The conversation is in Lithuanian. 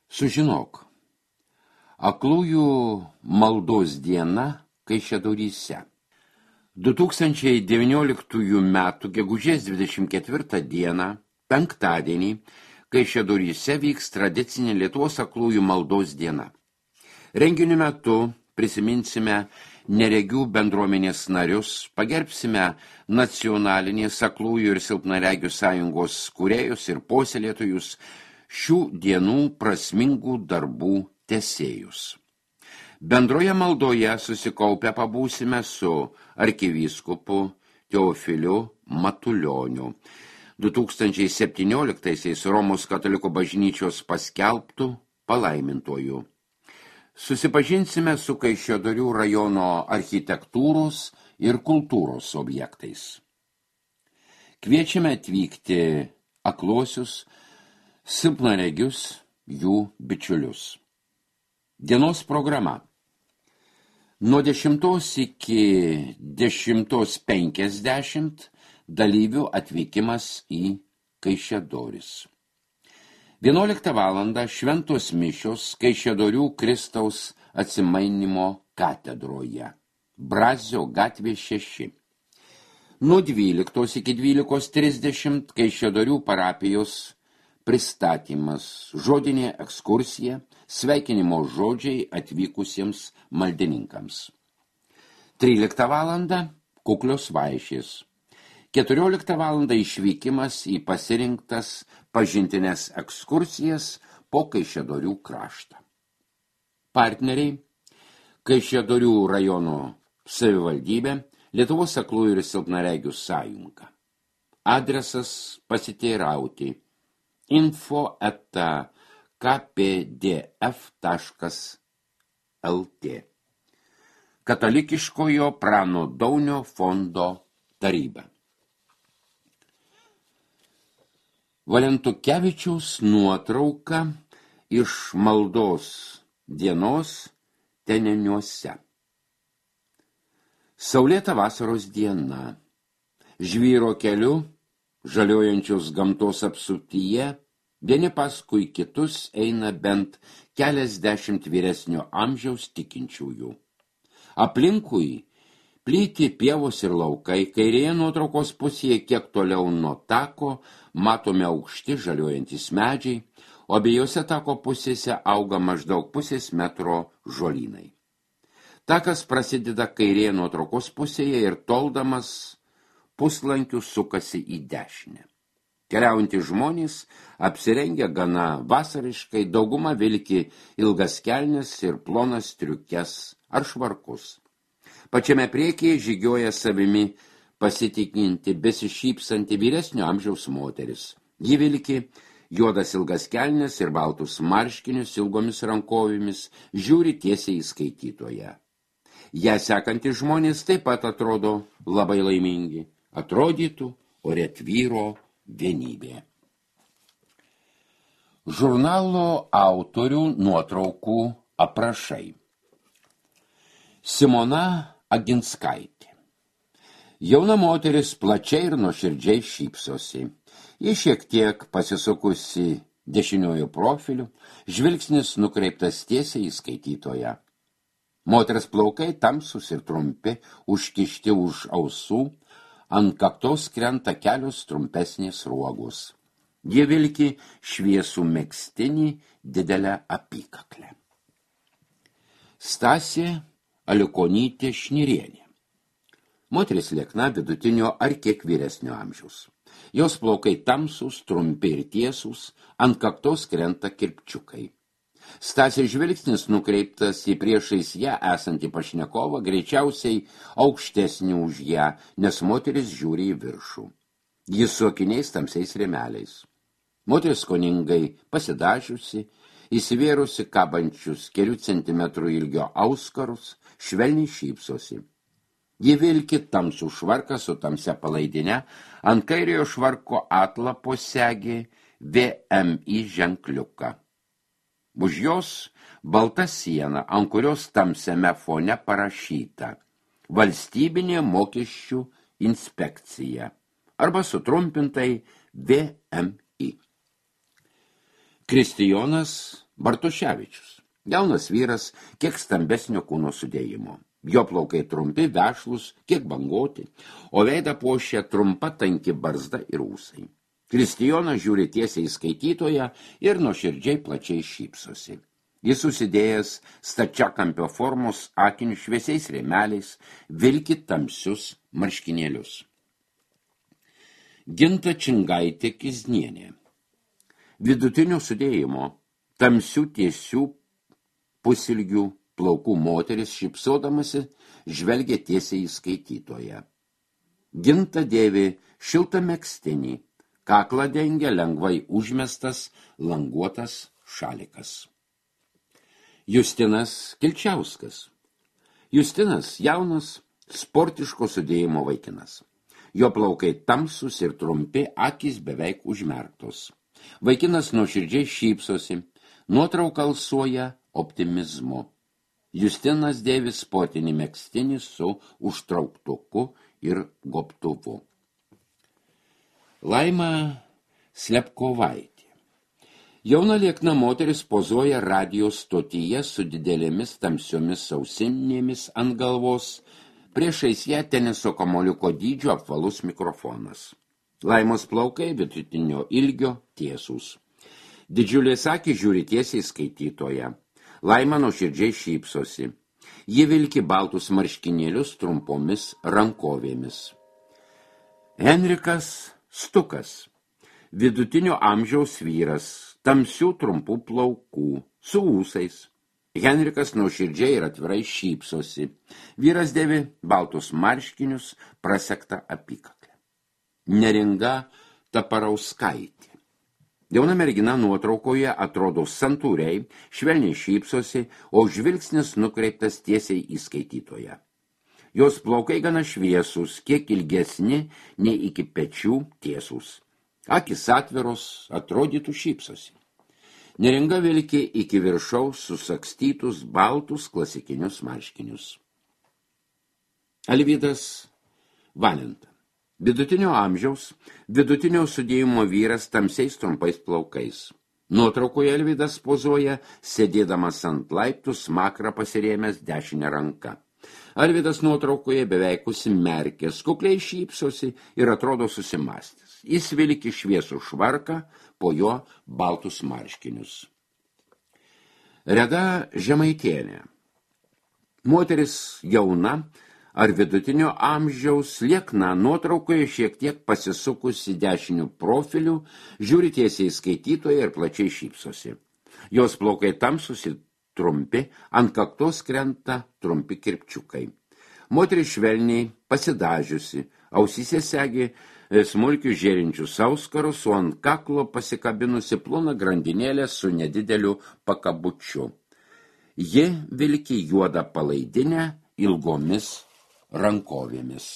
Sužinok, aklųjų maldos diena Kaišiadoryse. 2019 m. gegužės 24 dieną, penktadienį, Kaišiadoryse vyks tradicinė Lietuvos aklųjų maldos diena. Renginio metu prisiminsime neregių bendruomenės narius, pagerbsime nacionalinės aklųjų ir silpnaregių sąjungos kūrėjus ir puoselėtojus, šių dienų prasmingų darbų tęsėjus. Bendroje maldoje susikaupę pabūsime su arkivyskupu Teofiliu Matulioniu, 2017 Romos katalikų bažnyčios paskelbtų palaimintojų. Susipažinsime su Kaišiadorių rajono architektūros ir kultūros objektais. Kviečiame atvykti akluosius, silpnaregius, jų bičiulius. Dienos programa. Nuo 10 iki 10:50 dalyvių atvykimas į Kaišiadoris. 11 valandą šventos mišios Kaišiadorių Kristaus atsimainimo katedroje. Brazio gatvė 6. Nuo 12 iki 12:30 Kaišiadorių parapijos pristatymas, žodinė ekskursija, sveikinimo žodžiai atvykusiems maldininkams. 13 valandą kuklios vaišės. 14 valandą išvykimas į pasirinktas pažintines ekskursijas po Kaišiadorių kraštą. Partneriai: Kaišiadorių rajono savivaldybė, Lietuvos aklųjų ir silpnaregių sąjunga. Adresas pasiteirauti info@kpdf.lt. Katalikiškojo Prano Daunio fondo taryba. Valentukevičiaus nuotrauka iš maldos dienos Teneniuose. Saulėta vasaros diena. Žvyro keliu, žaliojančios gamtos apsuptyje, vieni paskui kitus eina bent keliasdešimt vyresnio amžiaus tikinčiųjų. Aplinkui plyti pievos ir laukai, kairėje nuotraukos pusėje kiek toliau nuo tako matome aukšti žaliuojantis medžiai, o abiejose tako pusėse auga maždaug pusės metro žolynai. Takas prasideda kairėje nuotraukos pusėje ir toldamas puslankių sukasi į dešinę. Keliaujantys žmonės apsirengę gana vasariškai, dauguma vilki ilgas kelnes ir plonas striukes ar švarkus. Pačiame priekyje žygioja savimi pasitikinti, besišypsanti vyresnio amžiaus moteris. Ji vilki juodas ilgas kelnes ir baltus marškinius ilgomis rankovėmis, žiūri tiesiai į skaitytoją. Ją sekantys žmonės taip pat atrodo labai laimingi. Atrodytų, ore tvyro vienybė. Žurnalo autorių nuotraukų aprašai. Simona Aginskaitė. Jauna moteris plačiai ir nuoširdžiai šypsosi. Ji šiek tiek pasisukusi dešiniuoju profiliu, žvilgsnis nukreiptas tiesiai į skaitytoją. Moters plaukai tamsūs ir trumpi, užkišti už ausų, ant kaktos krenta kelios trumpesnės ruogos. Ji vilki šviesų megztinį didelę apykaklę. Stasė Alikonytė Šnirienė. Moteris liekna, vidutinio ar kiek vyresnio amžiaus. Jos plaukai tamsūs, trumpi ir tiesūs, ant kaktos krenta kirpčiukai. Stasės žvilgsnis nukreiptas į priešais ją esantį pašnekovą, greičiausiai aukštesnį už ją, nes moteris žiūri į viršų. Jis su akiniais tamsiais rėmeliais. Moteris skoningai pasidažiusi, įsivėrusi kabančius kelių centimetrų ilgio auskarus, švelniai šypsosi. Ji vilki tamsų švarką su tamsia palaidine, ant kairiojo švarko atlapo segė VMI ženkliuką. Už jos balta siena, ant kurios tamsiame fone parašyta Valstybinė mokesčių inspekcija arba sutrumpintai VMI. Kristijonas Bartuševičius. Jaunas vyras, kiek stambesnio kūno sudėjimo. Jo plaukai trumpi, vešlus, kiek bangoti, o veidą puošia trumpa tanki barzda ir ūsai. Kristijonas žiūri tiesiai į skaitytoją ir nuoširdžiai plačiai šypsosi. Jis susidėjęs stačiakampio formos akinius šviesiais rėmeliais, vilki tamsius marškinėlius. Ginta Čingaitė Kiznienė. Vidutinio sudėjimo, tamsių tiesių pusilgių plaukų moteris šypsodamasi žvelgia tiesiai į skaitytoją. Ginta dėvi šiltą megztinį, kaklą dengia lengvai užmestas languotas šalikas. Justinas Kilčiauskas. Justinas jaunas, sportiško sudėjimo vaikinas. Jo plaukai tamsus ir trumpi, akys beveik užmerktos. Vaikinas nuoširdžiai šypsosi, nuotrauka alsuoja optimizmu. Justinas dėvi sportinį megztinį su užtrauktuku ir gobtuvu. Laima Slepkovaitė. Jauna liekna moteris pozuoja radijo stotyje su didelėmis tamsiomis ausinėmis ant galvos, priešais ją teniso kamuoliuko dydžio apvalus mikrofonas. Laimos plaukai vidutinio ilgio tiesūs. Didžiulės akys žiūri tiesiai skaitytoją. Laima nuoširdžiai šypsosi. Ji vilki baltus marškinėlius trumpomis rankovėmis. Henrikas Stukas. Vidutinio amžiaus vyras, tamsių trumpų plaukų, su ūsais. Henrikas nuoširdžiai ir atvirai šypsosi. Vyras dėvi baltus marškinius, prasektą apykaklę. Neringa Taparauskaitė. Jauna mergina nuotraukoje atrodo santūriai, švelniai šypsosi, o žvilgsnis nukreiptas tiesiai į skaitytoją. Jos plaukai gana šviesūs, kiek ilgesni nei iki pečių tiesūs. Akys atviros, atrodytų šypsosi. Neringa vilki iki viršaus susakstytus baltus klasikinius marškinius. Alvydas Valenta. Vidutinio amžiaus, vidutinio sudėjimo vyras tamsiais trumpais plaukais. Nuotraukoje Alvydas pozuoja, sėdėdamas ant laiptų smakrą pasirėmęs dešinę ranką. Alvydas nuotraukoje beveik užsimerkęs, kukliai šypsosi ir atrodo susimąstęs. Jis vilki šviesų švarką, po jo baltus marškinius. Reda Žemaitienė. Moteris jauna ar vidutinio amžiaus, liekna, nuotraukoje šiek tiek pasisukusi dešiniu profiliu, žiūri tiesiai skaitytoją ir plačiai šypsosi. Jos plaukai tamsus ir trumpi, ant kaktos krenta trumpi kirpčiukai. Moteris švelniai pasidažiusi, ausyse segi smulkius žėrinčius auskarus, o ant kaklo pasikabinusi plona grandinėlė su nedideliu pakabučiu. Ji vilki juodą palaidinę ilgomis rankovėmis.